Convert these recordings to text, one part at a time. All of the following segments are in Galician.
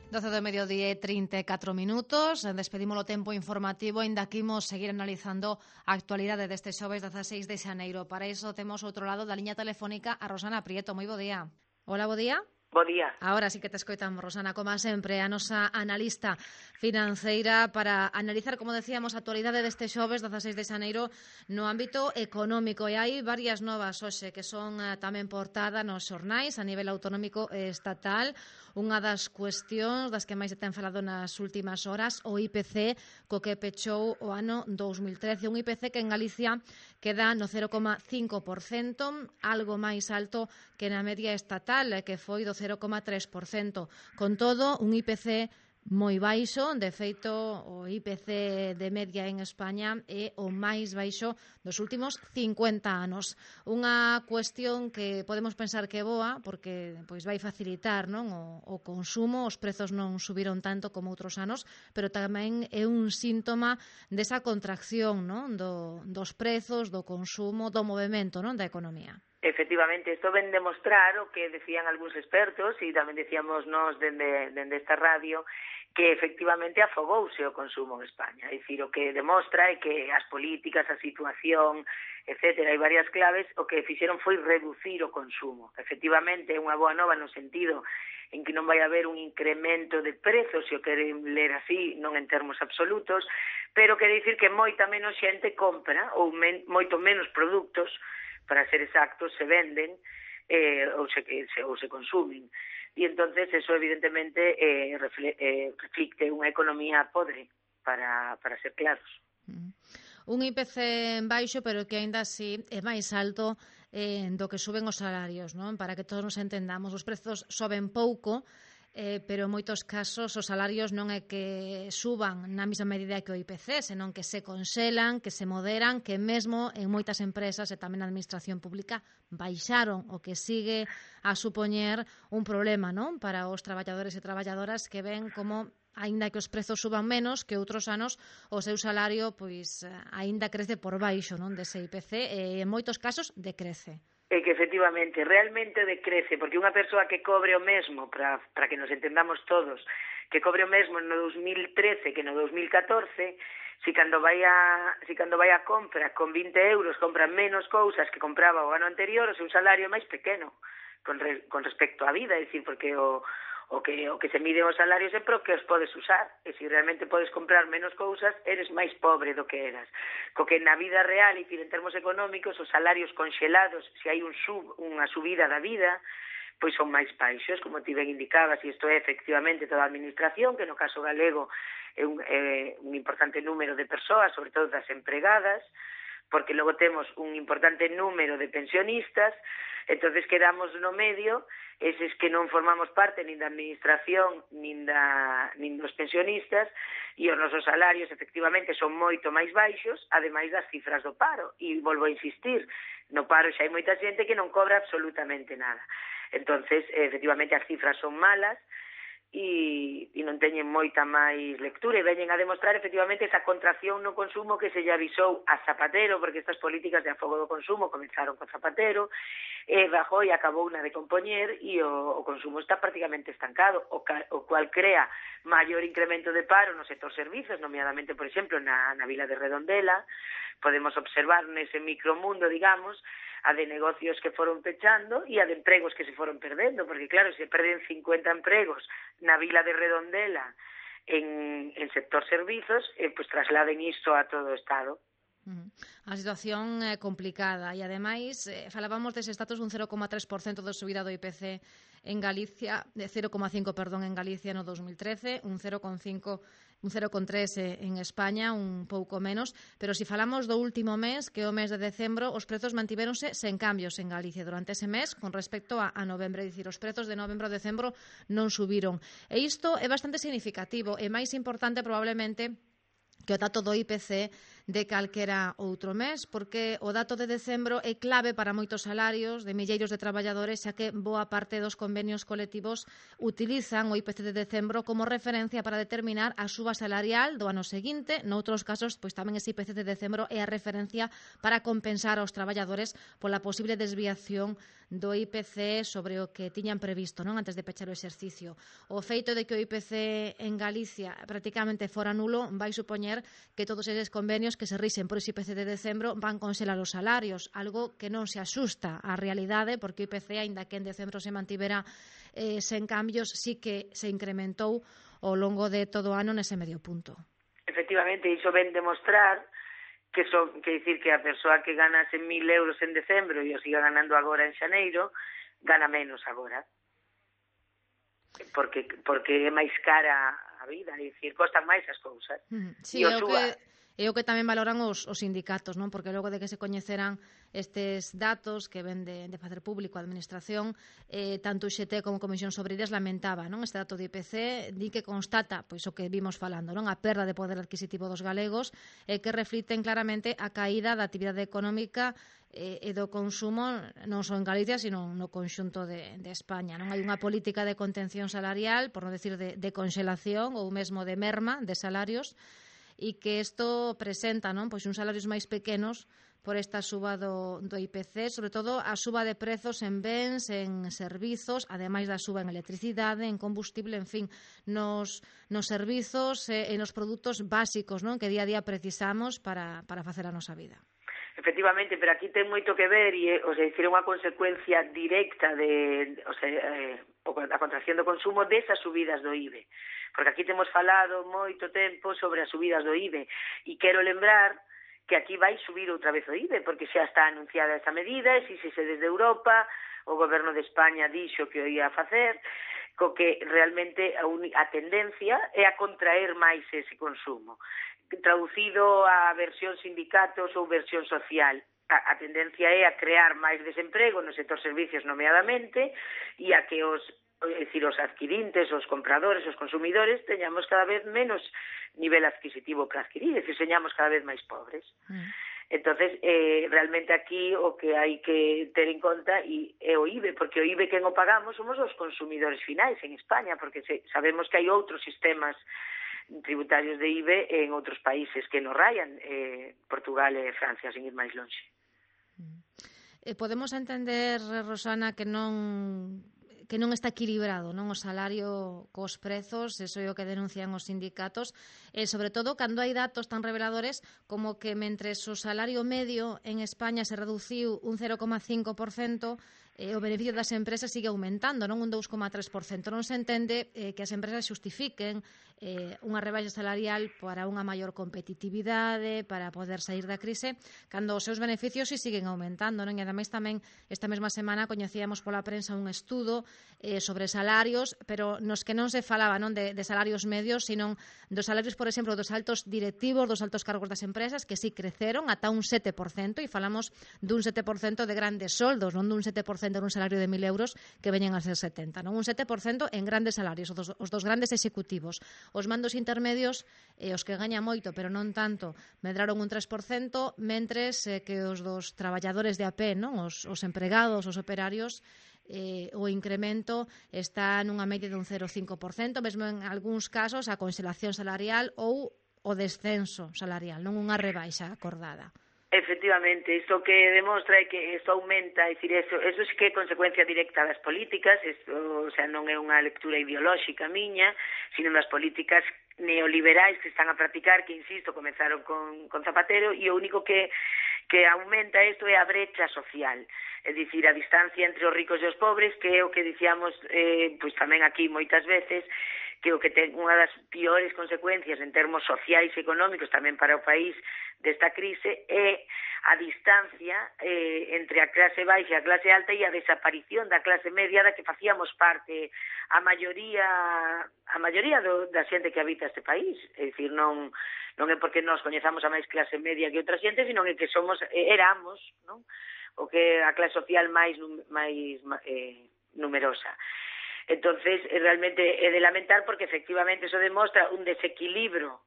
12 do mediodía e 34 minutos. Despedimos o tempo informativo, ainda que imos seguir analizando a actualidade deste xoves 16 de xaneiro. Para iso temos outro lado da liña telefónica a Rosana Prieto. Moi bo día. Hola, bo día. Bo día. Ahora sí que te escoitamos, Rosana, como sempre, a nosa analista financeira para analizar, como decíamos, a actualidade deste xoves 16 de xaneiro no ámbito económico. E hai varias novas hoxe que son tamén portada nos xornais a nivel autonómico e estatal. Unha das cuestións das que máis se ten falado nas últimas horas, o IPC, co que pechou o ano 2013. Un IPC que en Galicia queda no 0,5%, algo máis alto que na media estatal, que foi do 0,3%. Con todo, un IPC moi baixo. De feito, o IPC de media en España é o máis baixo dos últimos 50 anos. Unha cuestión que podemos pensar que é boa, porque pois vai facilitar, non, o consumo, os prezos non subiron tanto como outros anos, pero tamén é un síntoma desa contracción, non, dos prezos, do consumo, do movemento, non, da economía. Efectivamente, isto ven demostrar o que decían algúns expertos e tamén decíamos nós dende esta radio, que efectivamente afogouse o consumo en España. É dicir, o que demostra é que as políticas, a situación, etcétera, hai varias claves, o que fixeron foi reducir o consumo. Efectivamente, é unha boa nova no sentido en que non vai haber un incremento de prezos, se o queren ler así, non en termos absolutos, pero quere dicir que moita menos xente compra ou moito menos produtos, para ser exactos, se venden ou se consumen. E entonces eso evidentemente reflicte unha economía podre, para ser claros. Un IPC baixo, pero que aínda así é máis alto do que suben os salarios, non? Para que todos nos entendamos, os prezos soben pouco, pero en moitos casos os salarios non é que suban na mesma medida que o IPC, senón que se conxelan, que se moderan, que mesmo en moitas empresas e tamén na administración pública baixaron, o que sigue a supoñer un problema, non, para os traballadores e traballadoras que ven como aínda que os prezos suban menos que outros anos, o seu salario pois aínda crece por baixo, non, dese IPC e en moitos casos decrece. É que efectivamente, realmente decrece, porque unha persoa que cobre o mesmo, para que nos entendamos todos, que cobre o mesmo no 2013 que no 2014, si cando vai a compra con 20 euros compra menos cousas que compraba o ano anterior, o seu salario é máis pequeno con respecto á vida, é dicir, porque o que se mide os salarios é pro que os podes usar, e se realmente podes comprar menos cousas, eres máis pobre do que eras. Co que na vida real, e en termos económicos, os salarios conxelados, se hai unha subida da vida, pois son máis baixos, como ti ben indicabas, e isto é efectivamente toda a administración, que no caso galego é un importante número de persoas, sobre todo das empregadas, porque logo temos un importante número de pensionistas, entonces quedamos no medio, eses que non formamos parte nin da administración nin dos pensionistas, e os nosos salarios efectivamente son moito máis baixos, ademais das cifras do paro, e volvo a insistir, no paro xa hai moita xente que non cobra absolutamente nada. Entonces, efectivamente, as cifras son malas, e non teñen moita máis lectura, e veñen a demostrar efectivamente esa contracción no consumo que se lle avisou a Zapatero, porque estas políticas de afogo do consumo comenzaron con Zapatero, e Rajoy acabou na de compoñer, e o consumo está prácticamente estancado, o cual crea maior incremento de paro no sector servizos, nomeadamente, por exemplo, na Vila de Redondela. Podemos observar nese micromundo, digamos, a de negocios que foron pechando e a de empregos que se foron perdendo, porque claro, se perden 50 empregos na Vila de Redondela en sector servizos, pues trasladen isto a todo o Estado. A situación é complicada e, ademais, falábamos dese status dun 0,3% de subida do IPC en Galicia, de 0,5, perdón, en Galicia no 2013, un 0,3 en España, un pouco menos, pero se falamos do último mes, que é o mes de decembro, os prezos mantiveronse sen cambios en Galicia durante ese mes con respecto a novembro, é dicir, os prezos de novembro a decembro non subiron. E isto é bastante significativo, e máis importante probablemente que o dato do IPC de calquera outro mes, porque o dato de decembro é clave para moitos salarios de milleiros de traballadores, xa que boa parte dos convenios colectivos utilizan o IPC de decembro como referencia para determinar a suba salarial do ano seguinte. Noutros casos, pois tamén ese IPC de decembro é a referencia para compensar aos traballadores pola posible desviación do IPC sobre o que tiñan previsto, non, antes de pechar o exercicio. O feito de que o IPC en Galicia prácticamente fora nulo vai supoñer que todos eses convenios que se rixen por ese IPC de decembro van conxelar os salarios, algo que non se asusta á realidade, porque o IPC, aínda que en decembro se mantivera sen cambios, sí que se incrementou ao longo de todo o ano nese medio punto. Efectivamente, iso ven demostrar que dicir que a persoa que ganase 1.000 euros en decembro e o siga ganando agora en xaneiro, gana menos agora. Porque é máis cara a vida, é dicir, costan máis as cousas. Sí, é o que tamén valoran os sindicatos, non? Porque logo de que se coñeceran estes datos que ven de facer público a administración, tanto o XT como a Comisión Obreiras lamentaba, non, este dato de IPC, di que constata pois o que vimos falando, non, a perda de poder adquisitivo dos galegos, que reflicten claramente a caída da actividade económica e do consumo non só en Galicia, sino no conxunto de España, non? Hai unha política de contención salarial, por non decir de conxelación ou mesmo de merma de salarios, e que isto presenta, non, pois uns salarios máis pequenos por esta suba do IPC, sobre todo a suba de prezos en bens, en servizos, ademais da suba en electricidade, en combustible, en fin, nos servizos e nos produtos básicos, non, que día a día precisamos para facer a nosa vida. Efectivamente, pero aquí ten moito que ver e, o sea, dicir, unha consecuencia directa de, o sea, a contracción do consumo desas subidas do IBE. Porque aquí temos falado moito tempo sobre as subidas do IBE e quero lembrar que aquí vai subir outra vez o IBE, porque xa está anunciada esa medida, exíxese desde Europa, o goberno de España dixo que o ia a facer, co que realmente a tendencia é a contraer máis ese consumo. Traducido a versión sindicatos ou versión social, a tendencia é a crear máis desemprego no sector servicios nomeadamente e a que os adquirintes, os compradores, os consumidores teñamos cada vez menos nivel adquisitivo para adquirir, e señamos cada vez máis pobres. Entonces, realmente aquí o que hai que ter en conta é o IBE, porque o IBE quen o pagamos somos os consumidores finais en España, porque sabemos que hai outros sistemas tributarios de IBE en outros países que nos rayan, Portugal e Francia, sin ir máis longe. Podemos entender, Rosana, que non está equilibrado, non, o salario cos prezos, eso é o que denuncian os sindicatos, e sobre todo cando hai datos tan reveladores como que mentres o salario medio en España se reduciu un 0,5%, o beneficio das empresas sigue aumentando, non, un 2,3%. Non se entende que as empresas xustifiquen unha rebaixa salarial para unha maior competitividade, para poder sair da crise, cando os seus beneficios siguen aumentando, non? E ademais tamén esta mesma semana coñecíamos pola prensa un estudo sobre salarios, pero nos que non se falaba, non, de salarios medios, sino dos salarios, por exemplo, dos altos directivos, dos altos cargos das empresas, que sí creceron ata un 7%, e falamos dun 7% de grandes soldos, non dun 7% nun salario de 1.000 euros que veñen a ser 70, non? Un 7% en grandes salarios, os dos grandes executivos. Os mandos intermedios, os que gañan moito, pero non tanto, medraron un 3%, mentres que os dos traballadores de a pé, non? Os empregados, os operarios, o incremento está nunha media dun 0,5%, mesmo en algúns casos a conxelación salarial ou o descenso salarial, non unha rebaixa acordada. Efectivamente, isto que demostra é que isto aumenta, é dicir, eso sí que é consecuencia directa das políticas, isto, o sea, non é unha lectura ideolóxica miña, sino das políticas neoliberais que están a practicar, que, insisto, comenzaron con Zapatero, e o único que aumenta isto é a brecha social, é dicir, a distancia entre os ricos e os pobres, que é o que dicíamos pois tamén aquí moitas veces, que o que ten unha das piores consecuencias en termos sociais e económicos tamén para o país desta crise é a distancia entre a clase baixa e a clase alta e a desaparición da clase media da que facíamos parte a maioría da xente que habita este país. É dicir, non é porque nós coñezamos a máis clase media que outra xente, sino que éramos, non, o que a clase social máis numerosa. Entonces, realmente é de lamentar porque efectivamente eso demostra un desequilibrio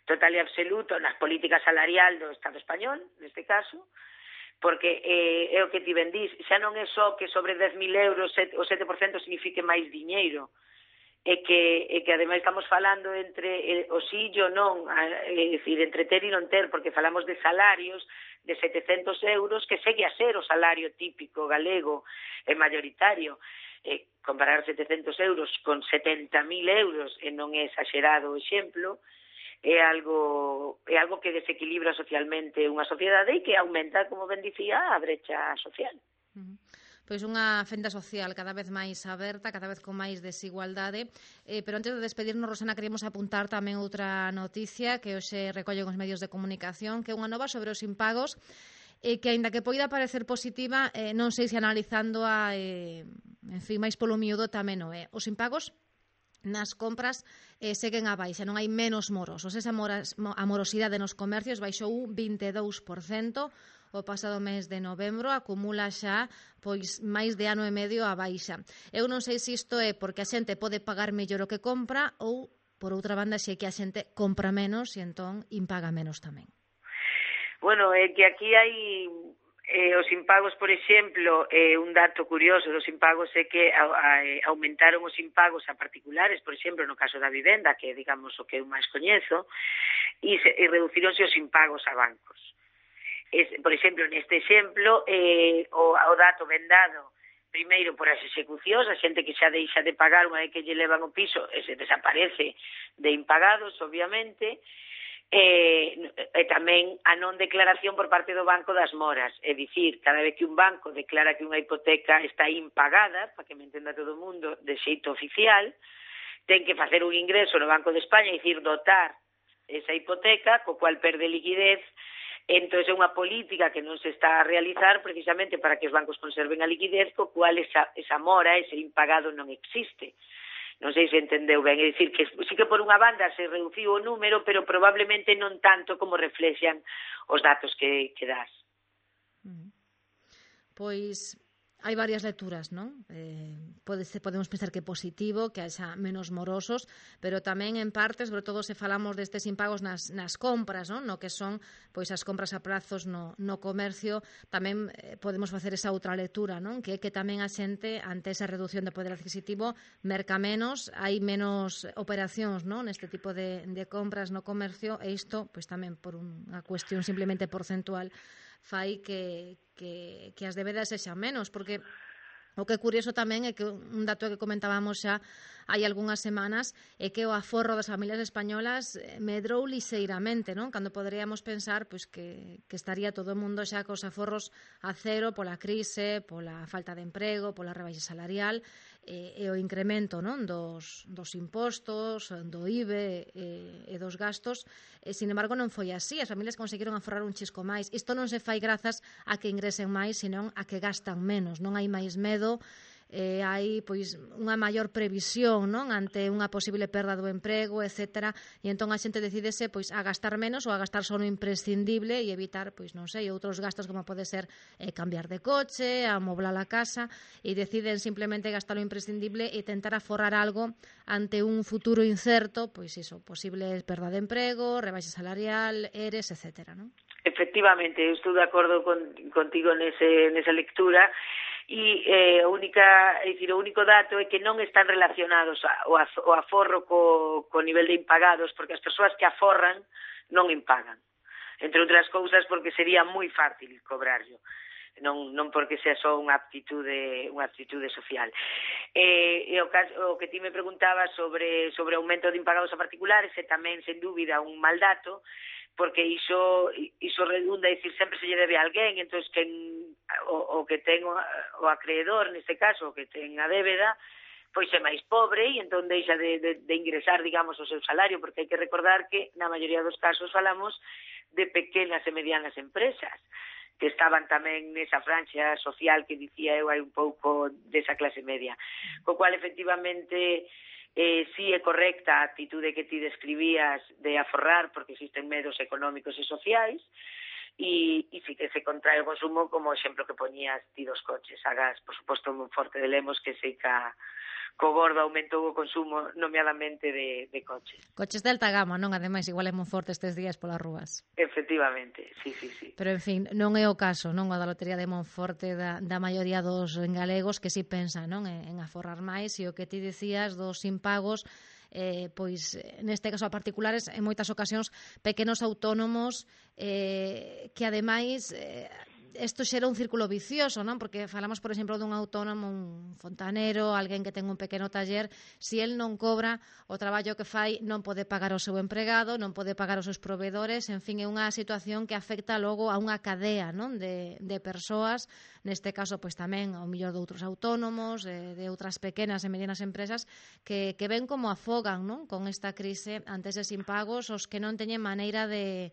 total e absoluto nas políticas salarial do Estado español, neste caso, porque é o que ti ben dís, xa non é só que sobre 10.000 euros o 7% signifique máis diñeiro, é que ademais estamos falando entre o sí e o non, é dicir, entre ter e non ter, porque falamos de salarios de 700 euros, que segue a ser o salario típico galego e mayoritario. Comparar 700 euros con 70.000 euros, e non é exagerado o exemplo, é algo que desequilibra socialmente unha sociedade e que aumenta, como ben dicía, a brecha social. Pois unha fenda social cada vez máis aberta, cada vez con máis desigualdade. Pero antes de despedirnos, Rosana, queremos apuntar tamén outra noticia que hoxe recollen os medios de comunicación, que é unha nova sobre os impagos, que, aínda que poida parecer positiva, non sei se analizándoa, en fin, máis polo miúdo tamén non é. Os impagos nas compras seguen a baixa, non hai menos morosos. Esa amorosidade nos comercios baixou un 22%, o pasado mes de novembro, acumula xa pois máis de ano e medio a baixa. Eu non sei se isto é porque a xente pode pagar mellor o que compra ou, por outra banda, se é que a xente compra menos e entón impaga menos tamén. Bueno, é que aquí hai os impagos, por exemplo, un dato curioso dos impagos é que aumentaron os impagos a particulares, por exemplo, no caso da vivenda, que é, digamos, o que eu máis coñezo, e reducironse os impagos a bancos. Por exemplo, neste exemplo, o dato ben dado primeiro por as execucións, a xente que xa deixa de pagar unha vez que lle levan o piso e se desaparece de impagados, obviamente, e tamén a non declaración por parte do banco das moras, é dicir, cada vez que un banco declara que unha hipoteca está impagada, para que me entenda todo o mundo, de xeito oficial, ten que facer un ingreso no Banco de España, é dicir, dotar esa hipoteca, co cual perde liquidez. Entón, é unha política que non se está a realizar precisamente para que os bancos conserven a liquidez, co cual esa mora, ese impagado non existe. Non sei se entendeu ben, é dicir, que sí que por unha banda se reduciu o número, pero probablemente non tanto como reflexan os datos que das. Pois hai varias lecturas, non? Podemos pensar que é positivo, que haxa menos morosos, pero tamén en parte, sobre todo se falamos destes impagos nas compras, non? No que son pois as compras a prazos no comercio, tamén podemos facer esa outra lectura, non? Que tamén a xente, ante esa reducción de poder adquisitivo, merca menos, hai menos operacións, non? Neste tipo de compras no comercio, e isto, pois tamén por unha cuestión simplemente porcentual, fai que as débedas sexan menos, porque o que é curioso tamén é que un dato que comentábamos xa hai algunhas semanas é que o aforro das familias españolas medrou lixeiramente, non? Cando poderíamos pensar pois que estaría todo o mundo xa cos aforros a cero pola crise, pola falta de emprego, pola rebaixa salarial e o incremento, non? Dos impostos, do IBE e dos gastos. Sin embargo, non foi así. As familias conseguiron aforrar un chisco máis. Isto non se fai grazas a que ingresen máis, senón a que gastan menos. Non hai máis medo, hai pois unha maior previsión, non? Ante unha posible perda do emprego, etcétera, e entón a xente decidese pois a gastar menos ou a gastar só no imprescindible e evitar, pois non sei, outros gastos como pode ser cambiar de coche, amoblar a casa, e deciden simplemente gastar o imprescindible e tentar aforrar algo ante un futuro incerto, pois iso, posible perda de emprego, rebaixa salarial, ERES, etcétera, non? Efectivamente, eu estou de acordo contigo nesa lectura. E o único dato é que non están relacionados o aforro co nivel de impagados, porque as persoas que aforran non impagan, entre outras cousas porque sería moi fácil cobrarlo, non porque sea só unha aptitude social. O que ti me preguntabas sobre aumento de impagados a particulares é tamén, sen dúbida, un mal dato, porque iso redunda, dicir, sempre se lle debe a alguén, entón o que ten o acreedor, neste caso, o que ten a débeda, pois é máis pobre e entón deixa de ingresar, digamos, o seu salario, porque hai que recordar que na maioría dos casos falamos de pequenas e medianas empresas, que estaban tamén nesa franxa social que dicía eu hai un pouco desa clase media. Co cual, efectivamente, si é correcta a actitude que ti describías de aforrar, porque existen medos económicos e sociais, e sí que se contrae o consumo, como o exemplo que poñías ti dos coches a gas. Por suposto, en Monforte de Lemos, que sei que co gordo aumentou o consumo, nomeadamente de coches. Coches de alta gama, non? Ademais, igual é moi forte estes días polas rúas. Efectivamente, sí. Pero, en fin, non é o caso, non, a da lotería de Monforte da maioría dos galegos que si pensan, non, en aforrar máis, e o que ti dicías dos impagos, pois neste caso a particulares, en moitas ocasións pequenos autónomos que ademais isto xera un círculo vicioso, non? Porque falamos, por exemplo, dun autónomo, un fontanero, alguén que ten un pequeno taller, se el non cobra o traballo que fai, non pode pagar o seu empregado, non pode pagar os seus provedores, en fin, é unha situación que afecta logo a unha cadea, non? De persoas, neste caso, pois tamén ao millor de outros autónomos, de outras pequenas e medianas empresas que ven como afogan, non? Con esta crise ante eses impagos, os que non teñen maneira de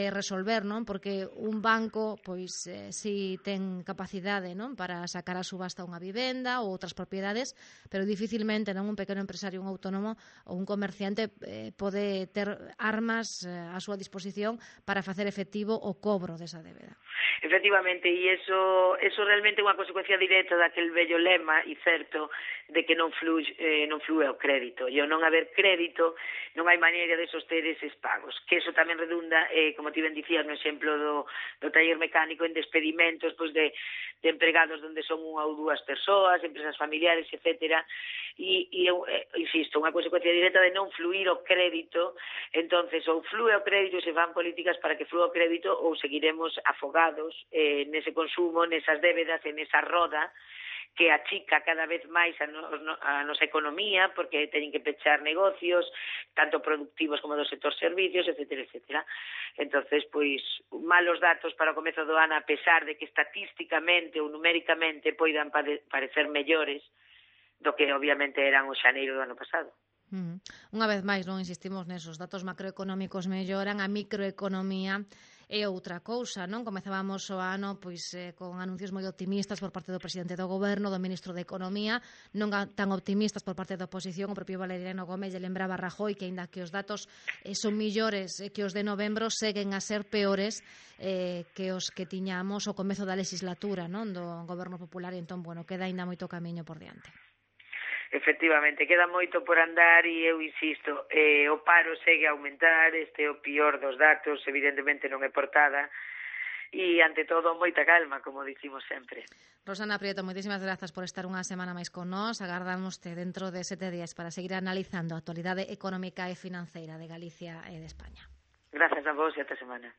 resolver, non? Porque un banco, pois, si ten capacidade, non? Para sacar a subasta unha vivenda ou outras propiedades, pero dificilmente, non? Un pequeno empresario, un autónomo ou un comerciante pode ter armas a súa disposición para facer efectivo o cobro desa débeda. Efectivamente, e eso realmente é unha consecuencia directa daquel vello lema, e certo, de que non flúe o crédito. E ao non haber crédito, non hai maneira de soster eses pagos. Que eso tamén redunda, como ti ben dicías no exemplo do taller mecánico, en despedimentos pois de empregados onde son unha ou dúas persoas, empresas familiares, etcétera. E insisto, unha consecuencia directa de non fluir o crédito. Entonces, ou flúe o crédito e se fan políticas para que flúe o crédito, ou seguiremos afogados nese consumo, nesas débedas, en esa roda que achica cada vez máis a nosa economía, porque teñen que pechar negocios, tanto productivos como do sector servicios, etcétera. Entonces, pois, malos datos para o comezo do ano, a pesar de que estatísticamente ou numéricamente poidan parecer mellores do que obviamente eran o xaneiro do ano pasado. Unha vez máis, non insistimos nesos datos macroeconómicos melloran, a microeconomía é outra cousa, non? Comezábamos o ano pois con anuncios moi optimistas por parte do presidente do goberno, do ministro de Economía, non tan optimistas por parte da oposición. O propio Valeriano Gómez lle lembraba a Rajoy que, aínda que os datos son millores que os de novembro, seguen a ser peores que os que tiñamos o comezo da legislatura, non? Do goberno popular, e entón, bueno, queda aínda moito camiño por diante. Efectivamente, queda moito por andar e eu insisto, o paro segue a aumentar, este é o pior dos datos, evidentemente non é portada, e ante todo moita calma, como dicimos sempre. Rosana Prieto, moitísimas grazas por estar unha semana máis con nós. Agardámoste dentro de 7 días para seguir analizando a actualidade económica e financeira de Galicia e de España. Gracias a vos e ata semana.